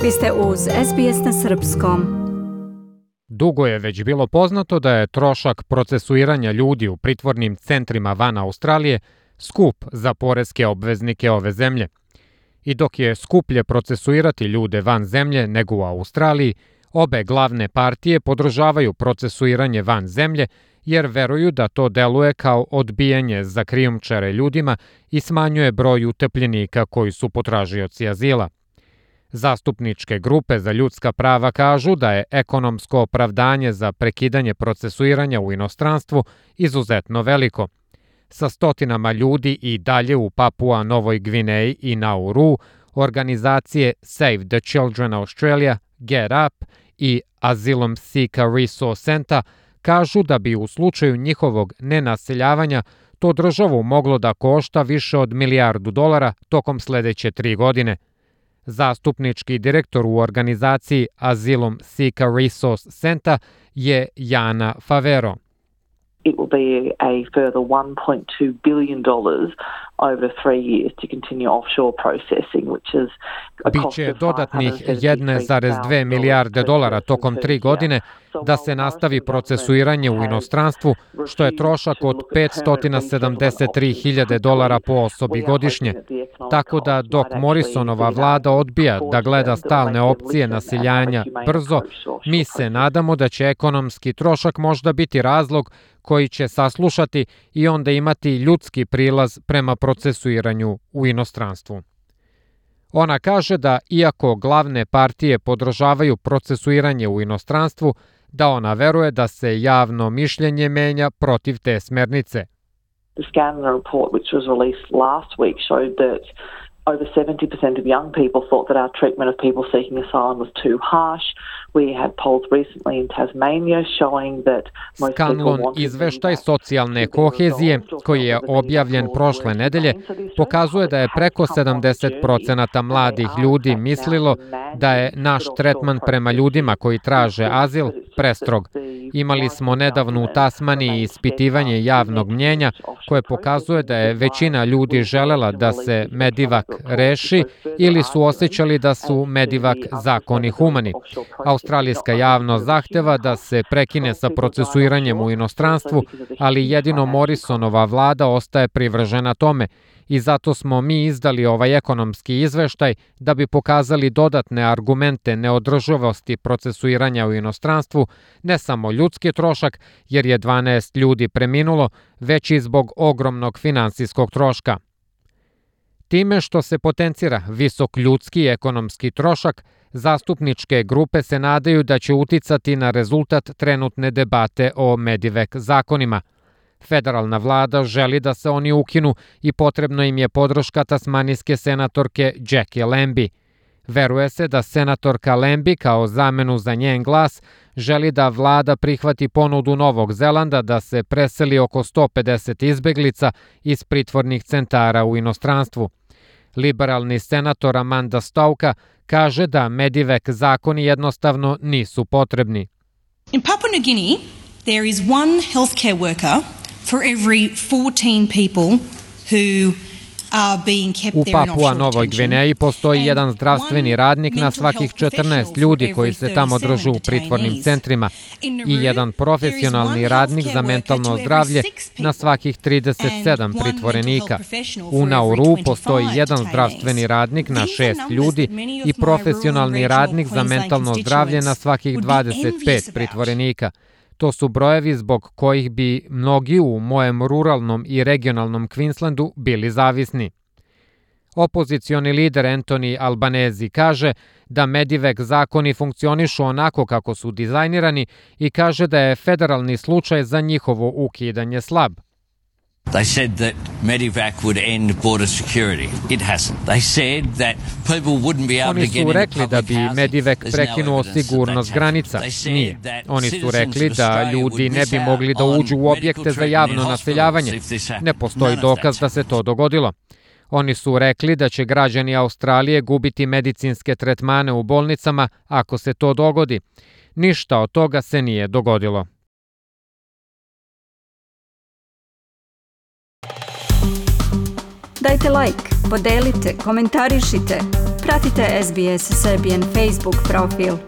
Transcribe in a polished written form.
Vi ste uz SBS na srpskom. Dugo je već bilo poznato da je trošak procesuiranja ljudi u pritvornim centrima van Australije skup za poreske obveznike ove zemlje. I dok je skuplje procesuirati ljude van zemlje nego u Australiji, obe glavne partije podržavaju procesuiranje van zemlje jer veruju da to deluje kao odbijanje za krijumčare ljudima i smanjuje broj utepljenika koji su potražioci azila. Zastupničke grupe za ljudska prava kažu da je ekonomsko opravdanje za prekidanje procesuiranja u inostranstvu izuzetno veliko. Sa stotinama ljudi i dalje u Papua Novoj Gvineji i Nauru, organizacije Save the Children Australia, Get Up i Asylum Seeker Resource Center kažu da bi u slučaju njihovog nenaseljavanja to državu moglo da košta više od $1 milijardu tokom sledeće 3 godine. Zastupnički direktor u organizaciji Asylum Seeker Resource Center je Jana Favero. It will be a further $1.2 billion over 3 years to continue offshore processing, which is a cost of Biće dodatnih $1,2 milijarde tokom 3 godine da se nastavi procesuiranje u inostranstvu, što je trošak od $573.000 po osobi godišnje. Tako da dok Morrisonova vlada odbija da gleda stalne opcije naseljanja brzo, mi se nadamo da će ekonomski trošak možda biti razlog koji će saslušati i onda imati ljudski prilaz prema procesuiranju u inostranstvu. Ona kaže da iako glavne partije podržavaju procesuiranje u inostranstvu, da ona veruje da se javno mišljenje menja protiv te smernice. The Scanlon report, which was released last week, showed that over 70% of young people thought that our treatment of people seeking asylum was too harsh. We had polls recently in Tasmania showing that most people Scanlon izveštaj socijalne kohezije, koji je objavljen prošle nedelje, pokazuje da je preko 70% mladih ljudi mislilo da je naš tretman prema ljudima koji traže azil prestrog. Imali smo nedavno u Tasmaniji ispitivanje javnog mnjenja koje pokazuje da je većina ljudi želela da se Medivak reši ili su osjećali da su Medivak zakoni humani. Australijska javnost zahteva da se prekine sa procesuiranjem u inostranstvu, ali jedino Morrisonova vlada ostaje privržena tome i zato smo mi izdali ovaj ekonomski izveštaj da bi pokazali dodatne argumente neodrživosti procesuiranja u inostranstvu, ne samo ljudski trošak, jer je 12 ljudi preminulo, već i zbog ogromnog finansijskog troška. Time što se potencira visok ljudski i ekonomski trošak, zastupničke grupe se nadaju da će uticati na rezultat trenutne debate o Medivak zakonima. Federalna vlada želi da se oni ukinu i potrebno im je podrška tasmanijske senatorke Jackie Lambie. Veruje se da senatorka Lambie kao zamenu za njen glas želi da vlada prihvati ponudu Novog Zelanda da se preseli oko 150 izbeglica iz pritvornih centara u inostranstvu. Liberalni senator Amanda Stauka kaže da Medivak zakoni jednostavno nisu potrebni. In Papua New Guinea, there is one healthcare worker for every 14 people who are being kept U there in Papua offshore Novoj detention. Gvineji postoji jedan zdravstveni radnik na svakih 14 ljudi koji se tamo drže u pritvornim centrima i jedan profesionalni radnik za mentalno zdravlje na svakih 37 pritvorenika. U Nauru postoji jedan zdravstveni radnik na 6 ljudi i profesionalni radnik za mentalno zdravlje na svakih 25 pritvorenika. To su brojevi zbog kojih bi mnogi u mojem ruralnom i regionalnom Queenslandu bili zavisni. Opozicioni lider Anthony Albanese kaže da Medivak zakoni funkcionišu onako kako su dizajnirani i kaže da je federalni slučaj za njihovo ukidanje slab. They said that Medivak would end border security. It hasn't. They said that people wouldn't be able Oni to get su into rekli da bi Medivak prekinuo sigurnost granica. Nije. Oni su rekli da ljudi ne bi mogli da uđu u objekte za javno naseljavanje. Ne postoji dokaz da se to dogodilo. Oni su rekli da će građani Australije gubiti medicinske tretmane u bolnicama ako se to dogodi. Ništa od toga se nije dogodilo. Dajte like, podelite, komentarišite. Pratite SBS Serbian Facebook profil.